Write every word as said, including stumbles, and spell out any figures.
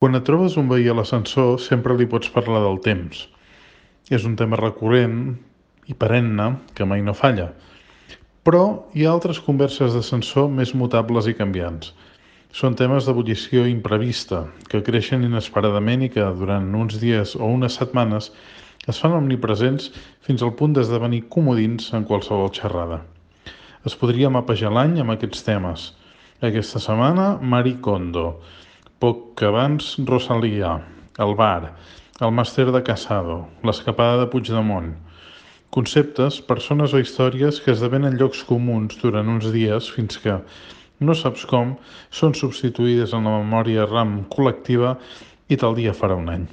Quan et trobes un veí a l'ascensor, sempre li pots parlar del temps. És un tema recurrent i perenne que mai no falla. Però hi ha altres converses d'ascensor més mutables i canviants. Són temes d'ebullició imprevista, que creixen inesperadament i que, durant uns dies o unes setmanes, es fan omnipresents fins al punt d'esdevenir comodins en qualsevol xerrada. Es podria mapejar l'any amb aquests temes. Aquesta setmana, Marie Kondo. Poc abans, Rosalía, el bar, el màster de Casado, l'escapada de Puigdemont. Conceptes, persones o històries que esdevenen llocs comuns durant uns dies fins que, no saps com, són substituïdes en la memòria RAM col·lectiva i tal dia farà un any.